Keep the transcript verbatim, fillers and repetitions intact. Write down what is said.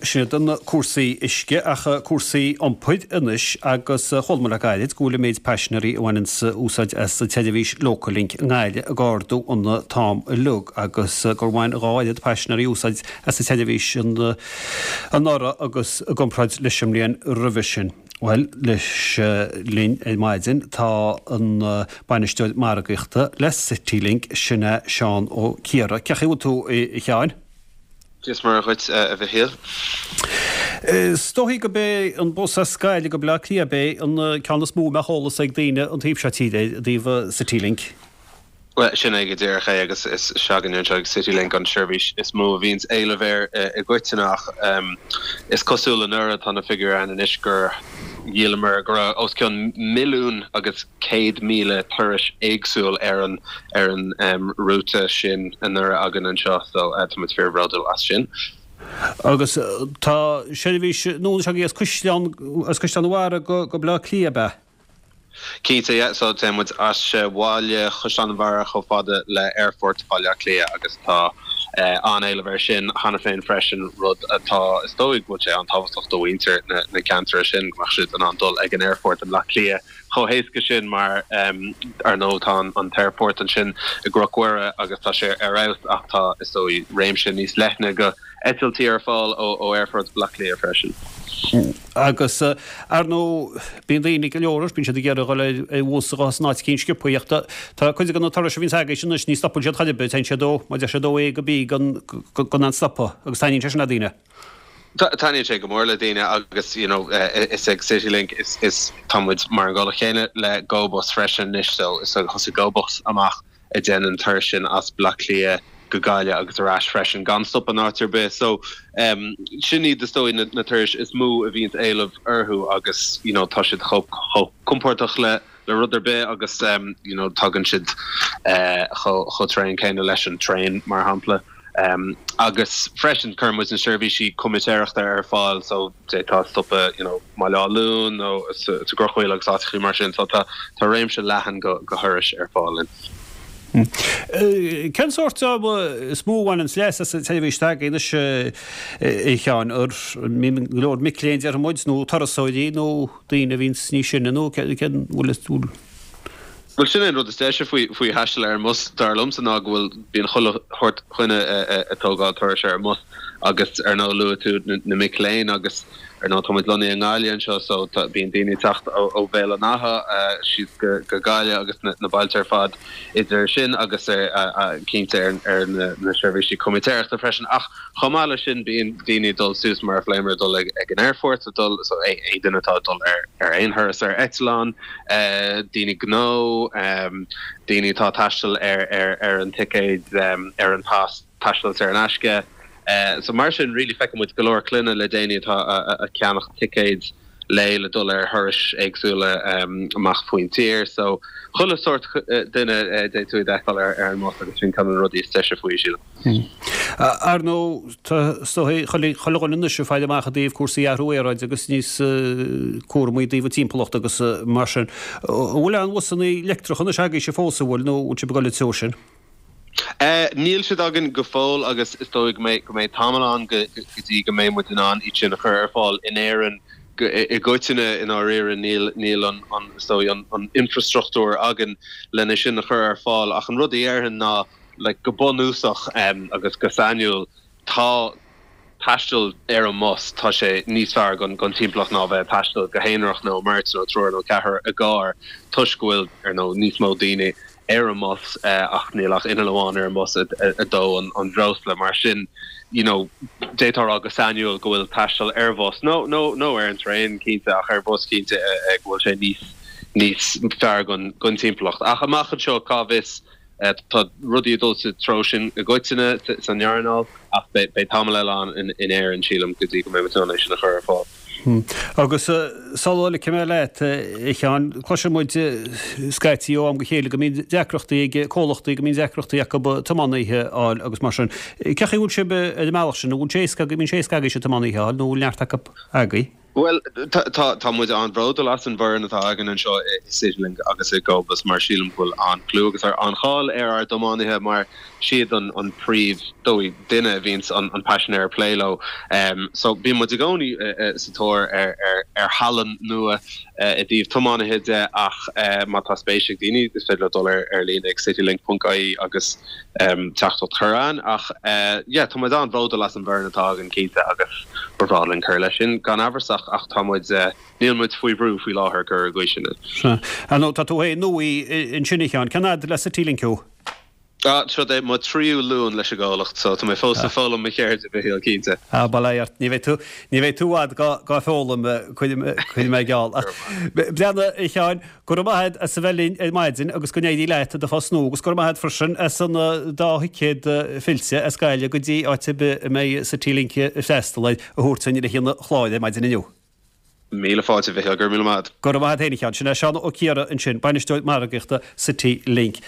Sin iad na cúrsaí uisce ach cúrsaí iompair anois agus chuala muid le gairid go bhfuil an méid paisinéirí a bhaineanns úsáid as an tseirbhís Localink i nGaillimh ag ardú an t-am uilig agus gur bhain dhá oiread paisinéirí úsáid as an tseirbhís anuraidh agus i gcomparáid leis an mbliain roimhe sin. Bhuel, leis linn ar maidin tá an bainisteoir margaíochta le Citylink, sin é Seán Ó Ciardha. Cén chaoi a bhfuil tú, a Sheáin? Dia is Muire dhuit, a Mhichíl. Is dóichí gurb é an bus as Gaillimh go Baile Átha Cliath ab é an ceann is mó a mbeadh eolas ag daoine an taobh seo tíre i dtaobh Citylink. Bhuel, sin é go díreach é agus is s'againne anseo ag Citylink an seirbhís is mó a bhíonns éileamh air i gcoitinne ach is cosúil anuraidh, tá na figiúirí ann anois, gur dhíolamar, go raibh os cionn milliún agus céad míle turais éagsúil ar an ar an rúta sin anuraidh againn anseo so tá muid fíorbhródúil as sin. Agus tá seirbhís nua anois agaibh as Caisleán as Caisleán an Bharraigh go go Baile Átha Cliath, ab ea? Cinnte, yeah. So téann muid as bhaile Chaisleán an Bharraigh chomh fada le Aerfort Bhaile Átha Cliath agus tá an-éileamh air sin cheana féin freisin, rud atá, is dóigh go bhfuil sé an-tábhachtach do mhuintir na ceantair sin, go mbeadh siad in ann dul ag an aerfort i mBleá Cliath chomh héasca sin mar, ar ndóigh, tá an t-aerfort ansin i gCnoc Mhuire agus tá sé ar fheabhas ach tá, is dóigh, réimse níos leithne go eitiltí ar fáil ó Aerfort Bhaile Átha Cliath freisin. Agus, ar ndóigh, bíonn daoine, go leor, bíonn siad ag iarraidh a dhul ar bhus a dhul as an áit eicínt sciobtha ach tá cuid de na turais a bhíonns agaibhse anois, ní stopann siad chor ar bith, téann siad ó, mar a deir siad, ó A go B gan gan aon stopadh agus taitníonn sé sin le daoine. Taitníonn sé go mór le daoine agus you know is ag Citylink is is tá muid mar an gcomhlacht chéanna le GoBus freisin anois so is thosaigh GoBus amach ag déanamh an turas sin as Baile Átha Cliath go Gaillimh agus ar ais freisin gan stop in áit ar bith. So sin iad is dóigh na turais is mó a bhíonns éileamh orthu agus you know tá siad chomh compordach le le rud ar bith agus you know tagann siad chomh tréan céanna leis an traein mar shampla. Agus freisin cuireann muid na seirbhísí comaitéireachta ar fáil so d'fhéadfá stopadh you know mBaile Átha Luain nó sa gCrochaoil agus áiteachaí mar sin so tá tá réimse leathan go go thurais ar fáil linn. Cén sórt is mó a bhaineanns leas as an tseirbhís atá agaibh anois a Sheáin? An go leor mic léinn déarfaidh muid nó turasóirí nó daoine a bhíonns níos sine nó cén bhfuil bhfuil Bhuel sin é an rud is deise faoi faoi thaisteal ar an mbus dar liomsa ná go bhfuil bíonn chuile shórt dhuine ag tógáil turais ar an mbus agus ar ndóigh luaigh tú na mic léinn agus ar ndóigh tá muid lonnaithe i nGaillimh anseo so tá bíonn daoine ag teacht ó ó Bhéal an Átha síos go go Gaillimh agus na na bailte ar fad idir sin agus ar cinnte ar ar na na seirbhísí comaitéireachta freisin ach chomh maith leis sin bíonn daoine ag dul suas mar a phléamar ag dul ag ag an aerfort ag dul so aon duine atá ag dul ar ar aon thuras ar eitleán daoine gnó, daoine atá ag taisteal ar an ticéad, ar an pas taistil saor in aisce. So mar sin really feiceann muid go leor clainne le déanaí atá ag ceannach ticéid lae le dul ar thurais éagsúla amach faoin tír. So chuile sórt duine d'fhéadfá iad a fheiceáil ar an mbus agus sin ceann de na rudaí is deise faoi, sílim. Ar ndóigh, tá is dóigh chuile dhuine anois ag faire amach i dtaobh cúrsaí athrú aeráide agus níos cúramaí i dtaobh an timpeallacht agus mar sin. An bhfuil aon bhusanna leictreacha anois agaibhse fós, an bhfuil, nó an bhfuil sibh ag dul an treo sin? Níl siad againn go fóill agus is dóigh go mbeidh go mbeidh tamall ann go dtí go mbeidh muid in ann iad sin a chur ar fáil in Éirinn i gcoitinne. I ndáiríre níl níl an is dóigh an infreastruchtúr againn lena sin a chur ar fáil ach an rud a dhéarfainn ná like go bunúsach agus go sainiúil tá taisteal ar an mbus, tá sé níos fearr don don timpeallacht ná bheith ag taisteal go haonarach nó i mbeirt nó triúr nó ceathrar i gcarr toisc go bhfuil ar ndóigh níos mó daoine ar an mbus ach níl ach inneall amháin ar an mbus ag dó an an bhreosla mar sin you know d'fhéadfá a rá go sainiúil go bhfuil taisteal ar bhus nó nó nó ar an traein cinnte ach ar bhus cinnte go bhfuil sé níos níos fearr don don timpeallacht ach amach anseo cá bhfios Tá rudaí ag dul sa treo sin i gcoitinne san earnáil ach beidh tamall eile ann in Éirinn, sílim, go dtí go mbeidh muid in ann é sin a chur ar fáil. Agus sula ligfidh mé leat, a Sheáin, cloiseann muid scaití ó am go chéile go mbíonn deacrachtaí ag comhlachtaí, go mbíonn deacrachtaí acu tiománaithe a fháil agus mar sin. Cén chaoi a bhfuil sibh ar an mbealach sin? An bhfuil sé éasca, an mbíonn sé éasca agaibhse tiománaithe a fháil nó an bhfuil neart acu agaibh? Well tá muid an-bhródúil as an bhfoireann atá againn anseo i Citylink agus i GoBus mar sílim go bhfuil an-chlú agus ar an-cháil ar ár dtiománaithe mar siad an an príomh dóigh duine a bhíonns an an paisinéir ag plé leo. Um, so bíonn muid i gcónaí uh, uh, sa tóir ar ar ar thallann nua uh, i dtaobh tiománaithe de ach uh, má tá spéis ag daoine is féidir leo dul ar ar líne ag citylink.ie agus um, teacht chugainn ach uh, yeah, tá muid an-bhródúil as an bhfoireann atá againn cinnte agus ba bhreá linn cur leis sin gan amhras ach ach tá muid uh, níl muid faoi bhrú faoi láthair gur go sin. Nó tá tú é nua ansin a Sheáin, cén fhad le Citylink thú? Ah, seo é mo tríú Luan leis an gcomhlacht, so tá mé fós ag foghlaim mo cheird a Mhichíl cinnte. Ah, bail ort ní bheidh tú ní bheidh tú i bhfad go go foghlaim chuid mé geall. Breathnaigh a Sheáin go raibh maith agat as a bheith linn ar maidin agus go n-éirí leat i do phost nua agus go raibh maith agat freisin as an dá thicéad fillte as Gaillimh go dtí áit ar bith a mbeidh Citylink ag freastal air a thabhairt dúinn le haghaidh an chláir ar maidin inniu. Míle fáilte a Mhichíl go raibh míle maith. Go raibh maith agat a Sheáin sin é Seán Ó Ciardha ansin, bainisteoir margaíochta Citylink.